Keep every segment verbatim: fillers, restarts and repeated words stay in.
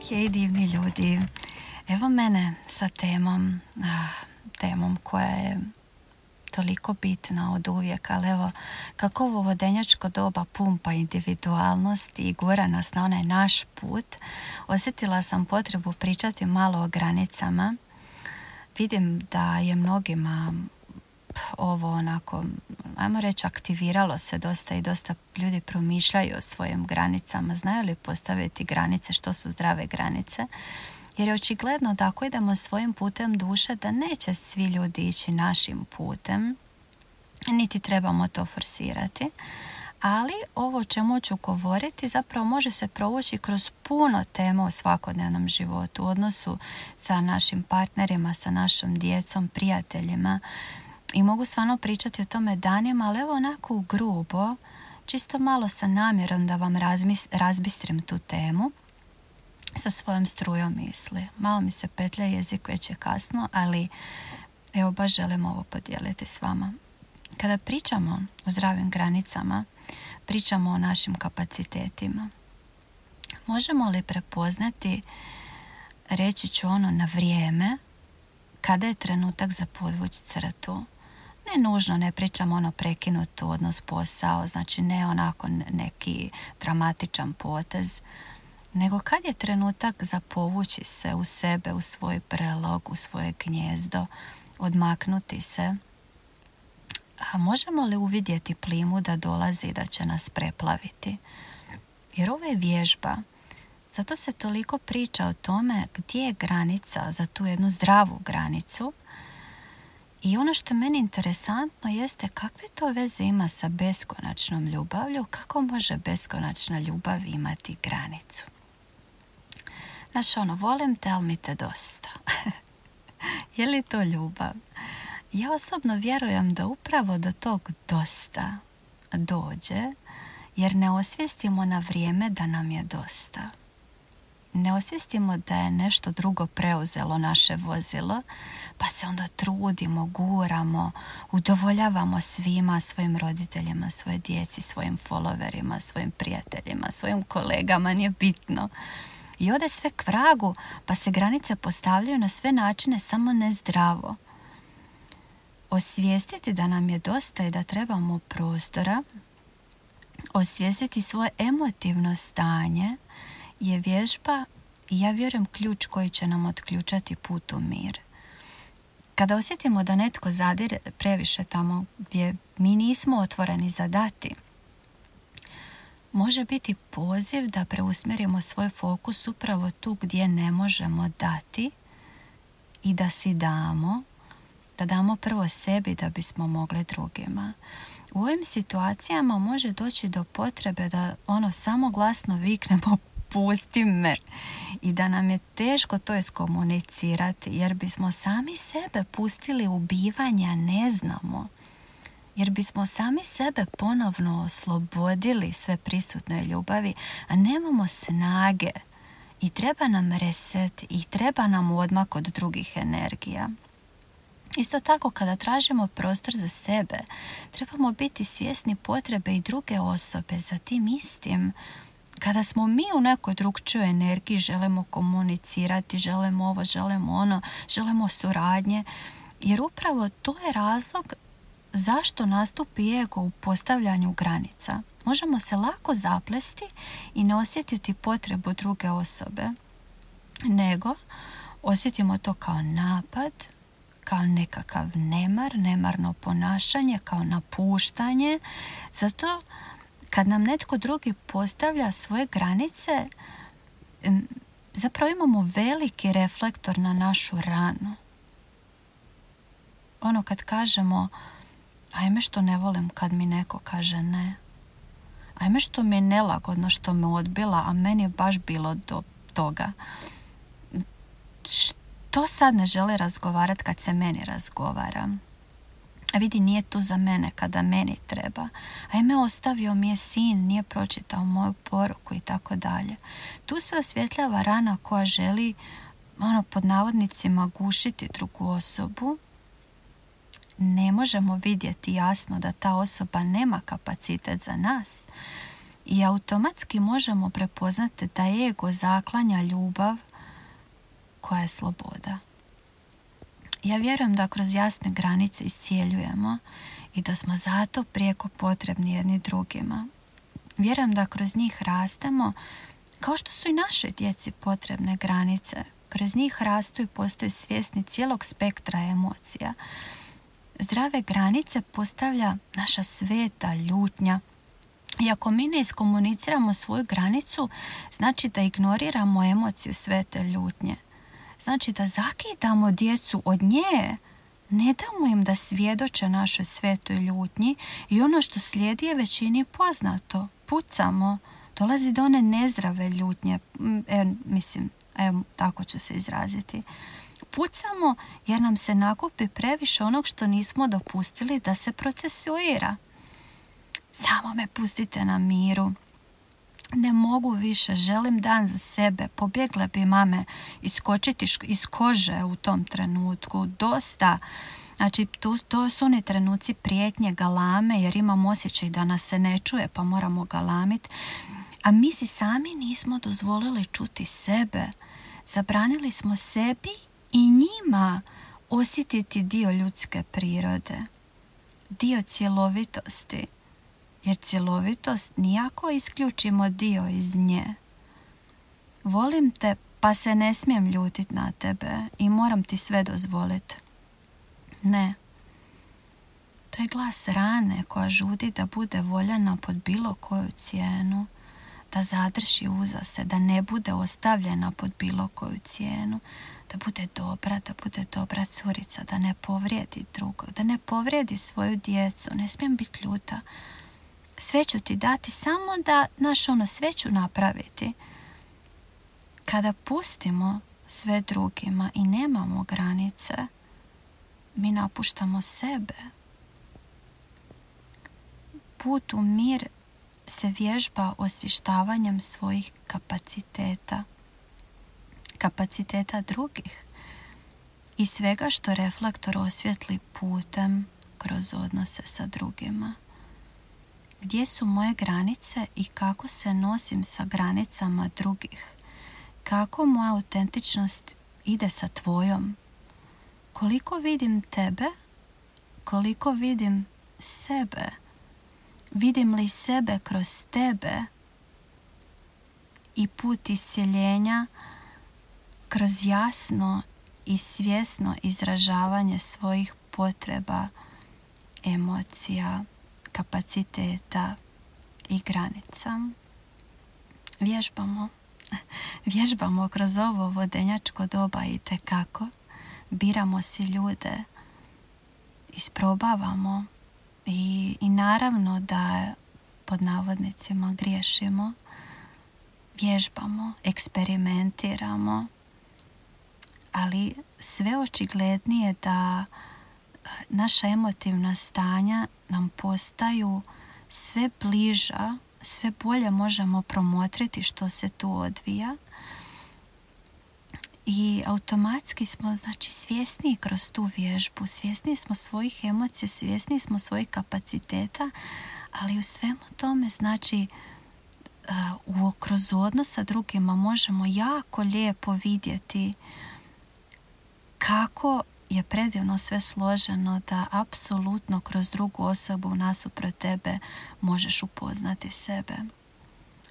Hej divni ljudi, evo mene sa temom, temom koja je toliko bitna od uvijek, ali evo kako ovo vodenjačko doba pumpa individualnost i gura nas na onaj naš put, osjetila sam potrebu pričati malo o granicama. Vidim da je mnogima ovo onako, ajmo reći, aktiviralo se dosta i dosta ljudi promišljaju o svojim granicama. Znaju li postaviti granice, što su zdrave granice? Jer je očigledno da ako idemo svojim putem duše, da neće svi ljudi ići našim putem, niti trebamo to forsirati. Ali ovo o čemu ću govoriti zapravo može se provući kroz puno tema u svakodnevnom životu, u odnosu sa našim partnerima, sa našom djecom, prijateljima. I mogu stvarno pričati o tome danima, ali evo onako grubo, čisto malo sa namjerom da vam razmis, razbistrim tu temu sa svojom strujom misli. Malo mi se petlja jezik, već je kasno, ali evo baš želim ovo podijeliti s vama. Kada pričamo o zdravim granicama, pričamo o našim kapacitetima. Možemo li prepoznati, reći ću ono na vrijeme, kada je trenutak za podvući crtu? Ne nužno, ne pričamo ono prekinut odnos, posao, znači ne onako neki dramatičan potez, nego kad je trenutak za povući se u sebe, u svoj brelog, u svoje gnjezdo, odmaknuti se. A možemo li uvidjeti plimu da dolazi i da će nas preplaviti? Jer ovo je vježba. Zato se toliko priča o tome gdje je granica za tu jednu zdravu granicu. I ono što meni interesantno jeste kakve to veze ima sa beskonačnom ljubavlju, kako može beskonačna ljubav imati granicu. Znaš ono, volim te, ali mi te dosta. Je li to ljubav? Ja osobno vjerujem da upravo do tog dosta dođe, jer ne osvijestimo na vrijeme da nam je dosta. Ne osvijestimo da je nešto drugo preuzelo naše vozilo, pa se onda trudimo, guramo, udovoljavamo svima, svojim roditeljima, svoje djeci, svojim followerima, svojim prijateljima, svojim kolegama, nije bitno. I ode sve k vragu, pa se granice postavljaju na sve načine, samo ne zdravo. Osvijestiti da nam je dosta i da trebamo prostora, osvijestiti svoje emotivno stanje je vježba i ja vjerujem ključ koji će nam otključati put u mir. Kada osjetimo da netko zadire previše tamo gdje mi nismo otvoreni za dati, može biti poziv da preusmjerimo svoj fokus upravo tu gdje ne možemo dati i da si damo, da damo prvo sebi da bismo mogli drugima. U ovim situacijama može doći do potrebe da ono samo glasno viknemo pusti me i da nam je teško to iskomunicirati jer bismo sami sebe pustili u bivanja, ne znamo. Jer bismo sami sebe ponovno oslobodili sve prisutnoj ljubavi, a nemamo snage i treba nam reset i treba nam odmak od drugih energija. Isto tako kada tražimo prostor za sebe, trebamo biti svjesni potrebe i druge osobe za tim istim. Kada smo mi u nekoj drugčijoj energiji, želimo komunicirati, želimo ovo, želimo ono, želimo suradnje, jer upravo to je razlog zašto nastupi ego u postavljanju granica. Možemo se lako zaplesti i ne osjetiti potrebu druge osobe, nego osjetimo to kao napad, kao nekakav nemar, nemarno ponašanje, kao napuštanje. Zato kad nam netko drugi postavlja svoje granice, zapravo imamo veliki reflektor na našu ranu. Ono kad kažemo, ajme što ne volim kad mi neko kaže ne. Ajme što mi je nelagodno što me odbila, a meni je baš bilo do toga. Što sad ne želi razgovarati kad se meni razgovara? A vidi, nije tu za mene kada meni treba. Ajme, ostavio mi je sin, nije pročitao moju poruku i tako dalje. Tu se osvjetljava rana koja želi, ono, pod navodnicima, gušiti drugu osobu. Ne možemo vidjeti jasno da ta osoba nema kapacitet za nas. i automatski možemo prepoznati da ego zaklanja ljubav koja je sloboda. Ja vjerujem da kroz jasne granice iscijeljujemo i da smo zato prijeko potrebni jedni drugima. Vjerujem da kroz njih rastemo, kao što su i našoj djeci potrebne granice. Kroz njih rastu i postaju svjesni cijelog spektra emocija. Zdrave granice postavlja naša sveta ljutnja. I ako mi ne iskomuniciramo svoju granicu, znači da ignoriramo emociju svete ljutnje. Znači da zakidamo djecu od nje, ne damo im da svjedoče našoj svetoj ljutnji i ono što slijedi je većini poznato. Pucamo, dolazi do one nezdrave ljutnje, e, mislim, evo, tako ću se izraziti. Pucamo jer nam se nakupi previše onog što nismo dopustili da se procesuira. Samo me pustite na miru. Ne mogu više, želim dan za sebe. Pobjegle bi mame iskočiti iz kože u tom trenutku. Dosta. Znači, to, to su oni trenuci prijetnje, galame, jer imam osjećaj da nas se ne čuje, pa moramo galamiti. A mi si sami nismo dozvolili čuti sebe. Zabranili smo sebi i njima osjetiti dio ljudske prirode. Dio cjelovitosti. Jer cjelovitost nijako isključimo dio iz nje. Volim te, pa se ne smijem ljutiti na tebe i moram ti sve dozvoliti. Ne. To je glas rane koja žudi da bude voljena pod bilo koju cijenu, da zadrži uza se, da ne bude ostavljena pod bilo koju cijenu, da bude dobra, da bude dobra curica, da ne povrijedi drugog, da ne povrijedi svoju djecu. Ne smijem biti ljuta. Sve ću ti dati, samo da, naš ono, sve ću napraviti. Kada pustimo sve drugima i nemamo granice, mi napuštamo sebe. Put u mir se vježba osvještavanjem svojih kapaciteta, kapaciteta drugih i svega što reflektor osvjetli putem kroz odnose sa drugima. Gdje su moje granice i kako se nosim sa granicama drugih? Kako moja autentičnost ide sa tvojom? Koliko vidim tebe? Koliko vidim sebe? Vidim li sebe kroz tebe? I put iscjeljenja kroz jasno i svjesno izražavanje svojih potreba, emocija, kapaciteta i granica. Vježbamo. Vježbamo kroz ovo vodenjačko doba i tekako. Biramo si ljude. Isprobavamo. I, i naravno da pod navodnicima griješimo. Vježbamo. Eksperimentiramo. Ali sve očiglednije da naša emotivna stanja nam postaju sve bliža, sve bolje možemo promotriti što se tu odvija i automatski smo, znači, svjesni kroz tu vježbu, svjesni smo svojih emocija, svjesni smo svojih kapaciteta, ali u svemu tome, znači, uh, kroz odnos sa drugima možemo jako lijepo vidjeti kako je predivno sve složeno da apsolutno kroz drugu osobu nasuprot tebe možeš upoznati sebe.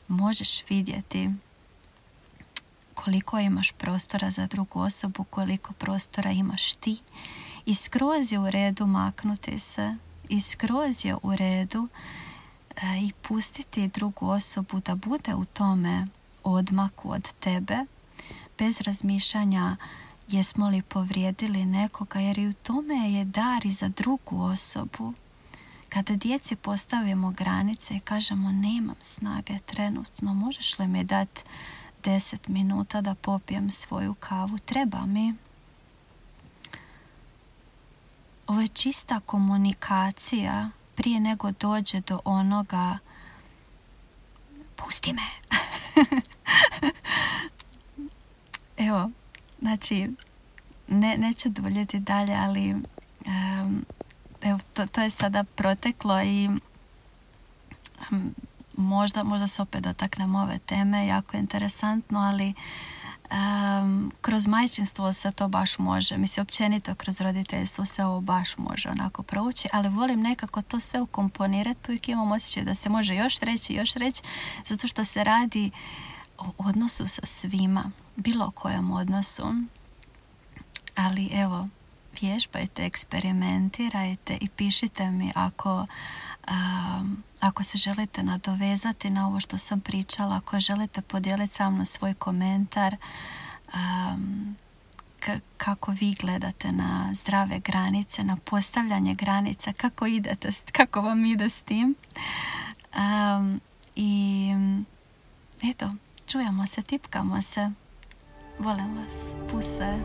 Možeš vidjeti koliko imaš prostora za drugu osobu, koliko prostora imaš ti. I skroz je u redu maknuti se. I skroz je u redu e, i pustiti drugu osobu da bude u tome odmaku od tebe, bez razmišljanja jesmo li povrijedili nekoga, jer i u tome je dar i za drugu osobu. Kada djeci postavimo granice i kažemo nemam snage trenutno, možeš li mi dati deset minuta da popijem svoju kavu, treba mi. Ovo je čista komunikacija prije nego dođe do onoga pusti me. Evo, znači, ne, neću duljiti dalje, ali um, evo, to, to je sada proteklo i um, možda, možda se opet dotaknemo ove teme, jako je interesantno, ali um, kroz majčinstvo se to baš može. Mislim, općenito kroz roditeljstvo se ovo baš može onako prouči, ali volim nekako to sve ukomponirati, pa uvijek imam osjećaj da se može još reći, još reći, zato što se radi o odnosu sa svima, bilo kojem odnosu. Ali evo, vježbajte, eksperimentirajte i pišite mi ako, um, ako se želite nadovezati na ovo što sam pričala, ako želite podijeliti sa mnom svoj komentar, um, k- kako vi gledate na zdrave granice, na postavljanje granica, kako idete, kako vam ide s tim. Um, I eto, čujemo se, tipkamo se. Volim vas. Puse.